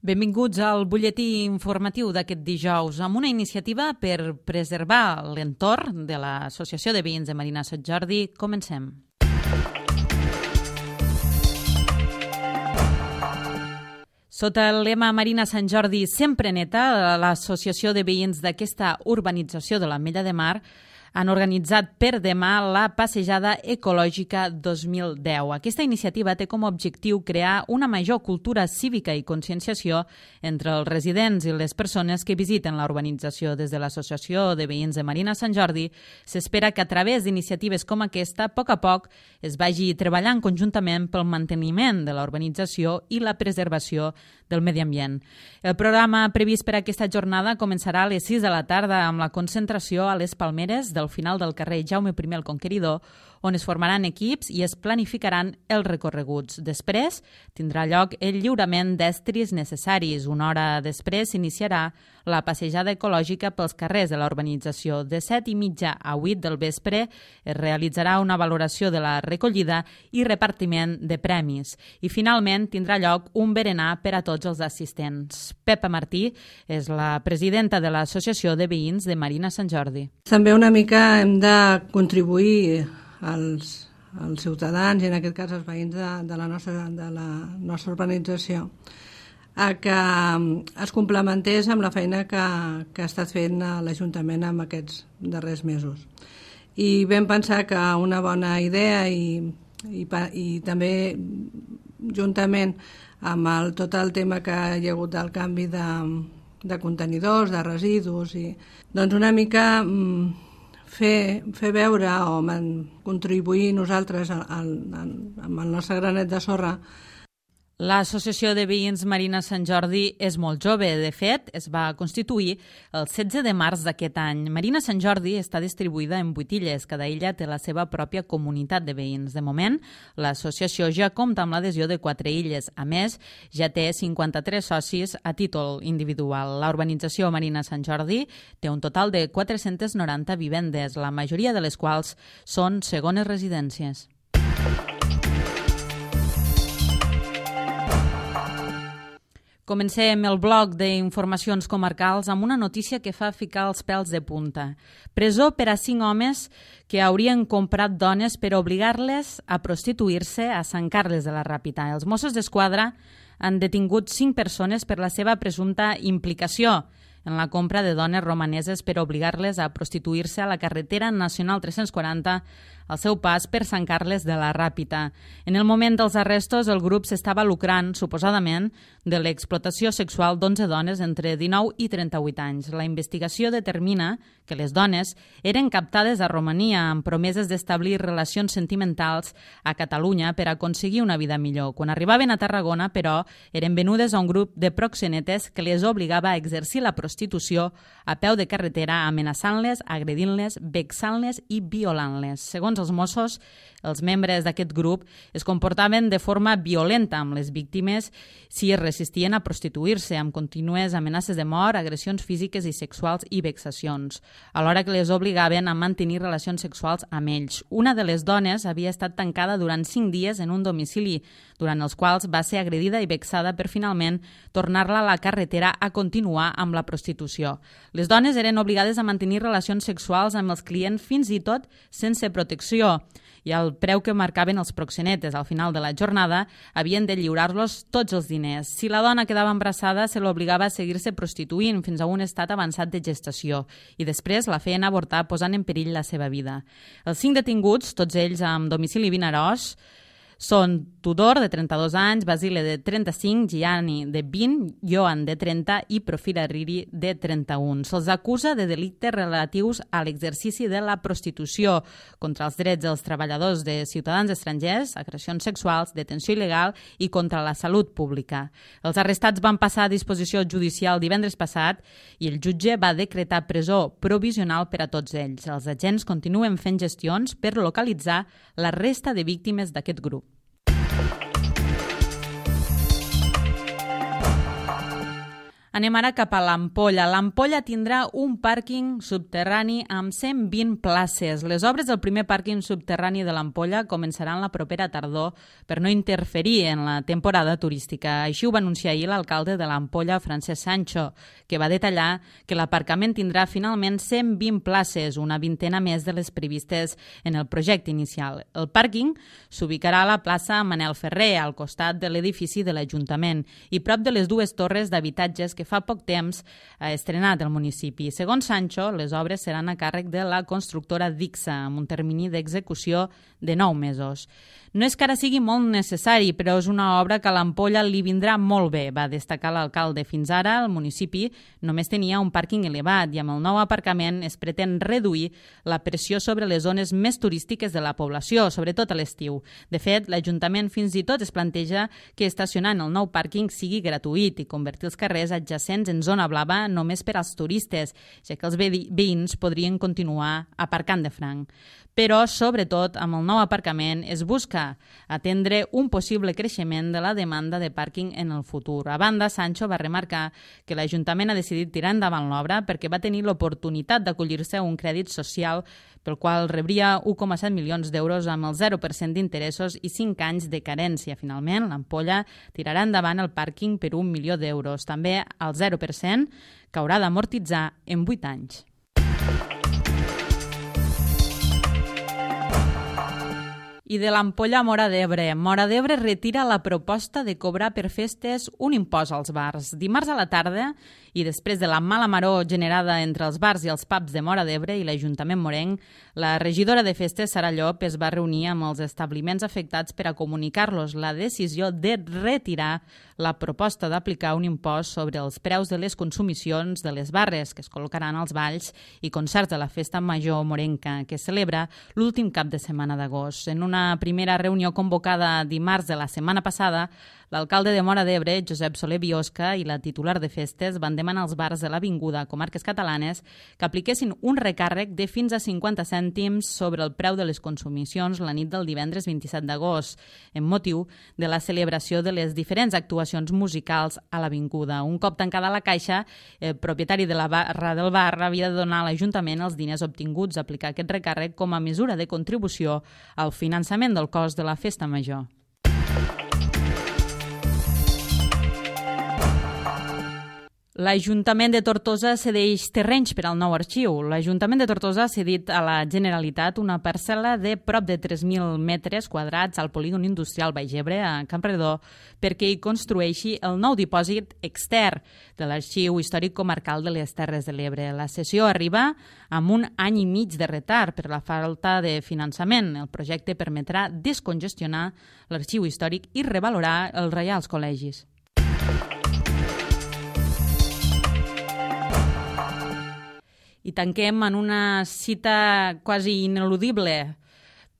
Benvinguts al butlletí informatiu d'aquest dijous amb una iniciativa per preservar l'entorn de l'Associació de Veïns de Marina Sant Jordi. Comencem. Sota el lema Marina Sant Jordi sempre neta, l'Associació de Veïns d'aquesta urbanització de l'Ametlla de Mar han organitzat per demà la Passejada Ecològica 2010. Aquesta iniciativa té com a objectiu crear una major cultura cívica i conscienciació entre els residents i les persones que visiten la urbanització. Des de l'Associació de Veïns de Marina Sant Jordi s'espera que a través d'iniciatives com aquesta, a poc es vagi treballant conjuntament pel manteniment de la urbanització i la preservació del medi ambient. El programa previst per aquesta jornada començarà a les 6 de la tarda amb la concentració a les Palmeres del final del carrer Jaume I el Conqueridor, on es formaran equips i es planificaran els recorreguts. Després tindrà lloc el lliurament d'estris necessaris. Una hora després s'iniciarà la passejada ecològica pels carrers de la urbanització. De 7:30 a 8 del vespre es realitzarà una valoració de la recollida i repartiment de premis. I finalment tindrà lloc un berenar per a tots els assistents. Pepa Martí és la presidenta de l'Associació de Veïns de Marina Sant Jordi. També una mica hem de contribuir als ciutadans i en aquest cas als veïns de la nostra urbanització a que es complementés amb la feina que ha estat fent l'Ajuntament en aquests darrers mesos. I vam pensar que una bona idea i també juntament amb tot el tema que hi ha hagut del canvi de contenidors, de residus, doncs una mica fer veure o contribuir nosaltres amb el nostre granet de sorra. L'Associació de Veïns Marina Sant Jordi és molt jove. De fet, es va constituir el 16 de març d'aquest any. Marina Sant Jordi està distribuïda en 8 illes. Cada illa té la seva pròpia comunitat de veïns. De moment, l'associació ja compta amb l'adhesió de 4 illes. A més, ja té 53 socis a títol individual. La urbanització Marina Sant Jordi té un total de 490 vivendes, la majoria de les quals són segones residències. Comencem el bloc d'informacions comarcals amb una notícia que fa ficar els pèls de punta. Presó per a 5 homes que haurien comprat dones per obligar-les a prostituir-se a Sant Carles de la Ràpita. Els Mossos d'Esquadra han detingut 5 persones per la seva presumpta implicació en la compra de dones romaneses per obligar-les a prostituir-se a la carretera nacional 340 al seu pas per Sant Carles de la Ràpita. En el moment dels arrestos, el grup s'estava lucrant, suposadament, de l'explotació sexual d'11 dones entre 19 i 38 anys. La investigació determina que les dones eren captades a Romania amb promeses d'establir relacions sentimentals a Catalunya per aconseguir una vida millor. Quan arribaven a Tarragona, però, eren venudes a un grup de proxenetes que les obligava a exercir la prostitució a peu de carretera, amenaçant-les, agredint-les, vexant-les i violant-les. Segons els Mossos, els membres d'aquest grup es comportaven de forma violenta amb les víctimes si es resistien a prostituir-se, amb contínues amenaces de mort, agressions físiques i sexuals i vexacions, alhora que les obligaven a mantenir relacions sexuals amb ells. Una de les dones havia estat tancada durant 5 dies en un domicili, durant els quals va ser agredida i vexada per finalment tornar-la a la carretera a continuar amb la prostitució. Les dones eren obligades a mantenir relacions sexuals amb els clients fins i tot sense protecció i al preu que marcaven els proxenetes. Al final de la jornada havien de lliurar-los tots els diners. Si la dona quedava embarassada, se l'obligava a seguir-se prostituint fins a un estat avançat de gestació i després la feien avortar posant en perill la seva vida. Els 5 detinguts, tots ells amb domicili Vinaròs, són Tudor, de 32 anys, Basile, de 35, Gianni, de 20, Joan, de 30 i Profira Riri, de 31. Se'ls acusa de delictes relatius a l'exercici de la prostitució contra els drets dels treballadors de ciutadans estrangers, agressions sexuals, detenció il·legal i contra la salut pública. Els arrestats van passar a disposició judicial divendres passat i el jutge va decretar presó provisional per a tots ells. Els agents continuen fent gestions per localitzar la resta de víctimes d'aquest grup. Anem ara cap a l'Ampolla. L'Ampolla tindrà un pàrquing subterrani amb 120 places. Les obres del primer pàrquing subterrani de l'Ampolla començaran la propera tardor per no interferir en la temporada turística. Així ho va anunciar ahir l'alcalde de l'Ampolla, Francesc Sancho, que va detallar que l'aparcament tindrà finalment 120 places, una vintena més de les previstes en el projecte inicial. El pàrquing s'ubicarà a la plaça Manel Ferrer, al costat de l'edifici de l'Ajuntament, i prop de les dues torres d'habitatges que fa poc temps ha estrenat el municipi. Segons Sancho, les obres seran a càrrec de la constructora Dixa, amb un termini d'execució de 9 mesos. No és que ara sigui molt necessari, però és una obra que a l'Ampolla li vindrà molt bé, va destacar l'alcalde. Fins ara, el municipi només tenia un pàrquing elevat i amb el nou aparcament es pretén reduir la pressió sobre les zones més turístiques de la població, sobretot a l'estiu. De fet, l'Ajuntament fins i tot es planteja que estacionar en el nou pàrquing sigui gratuït i convertir els carrers adjacents en zona blava només per als turistes, ja que els veïns podrien continuar aparcant de franc. Però, sobretot, amb el nou aparcament es busca atendre un possible creixement de la demanda de pàrquing en el futur. A banda, Sancho va remarcar que l'Ajuntament ha decidit tirar endavant l'obra perquè va tenir l'oportunitat d'acollir-se a un crèdit social pel qual rebria 1,7 milions d'euros amb el 0% d'interessos i 5 anys de carència. Finalment, l'Ampolla tirarà endavant el pàrquing per 1 milió d'euros, també al 0%, que haurà d'amortitzar en 8 anys. I de l'Ampolla a Móra d'Ebre. Móra d'Ebre retira la proposta de cobrar per festes un impost als bars. Dimarts a la tarda, i després de la mala maror generada entre els bars i els pubs de Móra d'Ebre i l'Ajuntament morenc, la regidora de festes, Sara Llop, es va reunir amb els establiments afectats per a comunicar-los la decisió de retirar la proposta d'aplicar un impost sobre els preus de les consumicions de les barres que es col·locaran als balls i concerts de la Festa Major morenca, que es celebra l'últim cap de setmana d'agost. En una primera reunió convocada dimarts de la setmana passada, l'alcalde de Móra d'Ebre, Josep Soler Biosca, i la titular de festes van demanar als bars de l'Avinguda Comarques Catalanes que apliquessin un recàrrec de fins a 50 cèntims sobre el preu de les consumicions la nit del divendres 27 d'agost, en motiu de la celebració de les diferents actuacions musicals a l'Avinguda. Un cop tancada la caixa, el propietari de la barra del bar havia de donar a l'Ajuntament els diners obtinguts a aplicar aquest recàrrec com a mesura de contribució al finançament del cost de la Festa Major. L'Ajuntament de Tortosa cedeix terrenys per al nou arxiu. L'Ajuntament de Tortosa ha cedit a la Generalitat una parcel·la de prop de 3.000 metres quadrats al polígon industrial Baix Ebre, a Campredó, perquè hi construeixi el nou dipòsit extern de l'Arxiu Històric Comarcal de les Terres de l'Ebre. La cessió arriba amb 1 any i mig de retard per la falta de finançament. El projecte permetrà descongestionar l'Arxiu Històric i revalorar els Reials Col·legis. I tanquem en una cita quasi ineludible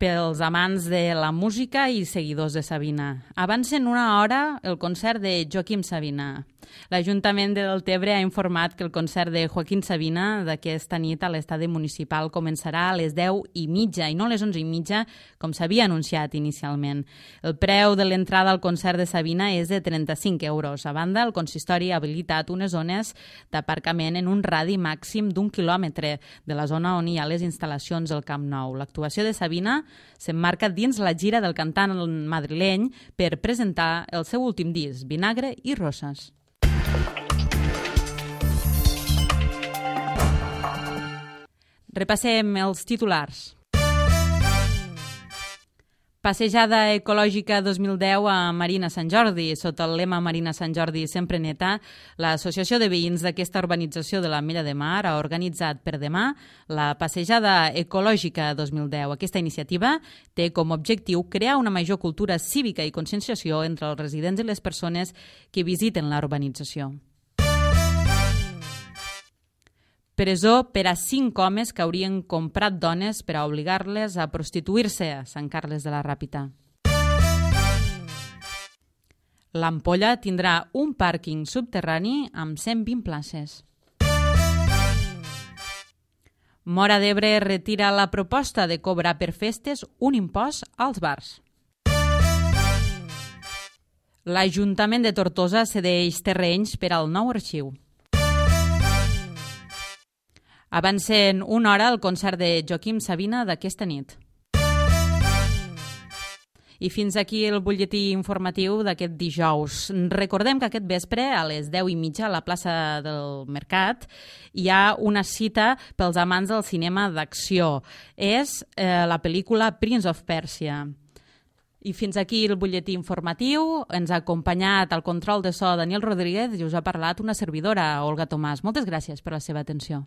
pels amants de la música i seguidors de Sabina. Avança en 1 hora el concert de Joaquim Sabina. L'Ajuntament de Deltebre ha informat que el concert de Joaquim Sabina d'aquesta nit a l'estadi municipal començarà a les 10:30 i no a les 11:30, com s'havia anunciat inicialment. El preu de l'entrada al concert de Sabina és de 35 euros. A banda, el consistori ha habilitat unes zones d'aparcament en un radi màxim d'1 quilòmetre de la zona on hi ha les instal·lacions del Camp Nou. L'actuació de Sabina s'emmarca dins la gira del cantant madrileny per presentar el seu últim disc, Vinagre i Roses. Repassem els titulars. Passejada ecològica 2010 a Marina Sant Jordi. Sota el lema Marina Sant Jordi sempre neta, l'Associació de Veïns d'aquesta urbanització de l'Ametlla de Mar ha organitzat per demà la Passejada ecològica 2010. Aquesta iniciativa té com a objectiu crear una major cultura cívica i conscienciació entre els residents i les persones que visiten la urbanització. Presó per a 5 homes que haurien comprat dones per a obligar-les a prostituir-se a Sant Carles de la Ràpita. L'Ampolla tindrà un pàrquing subterrani amb 120 places. Móra d'Ebre retira la proposta de cobrar per festes un impost als bars. L'Ajuntament de Tortosa cedeix terrenys per al nou arxiu. Avancen una hora el concert de Joaquim Sabina d'aquesta nit. I fins aquí el butlletí informatiu d'aquest dijous. Recordem que aquest vespre, a les 10:30, a la plaça del Mercat, hi ha una cita pels amants del cinema d'acció. És la pel·lícula Prince of Persia. I fins aquí el butlletí informatiu. Ens ha acompanyat al control de so Daniel Rodríguez i us ha parlat una servidora, Olga Tomàs. Moltes gràcies per la seva atenció.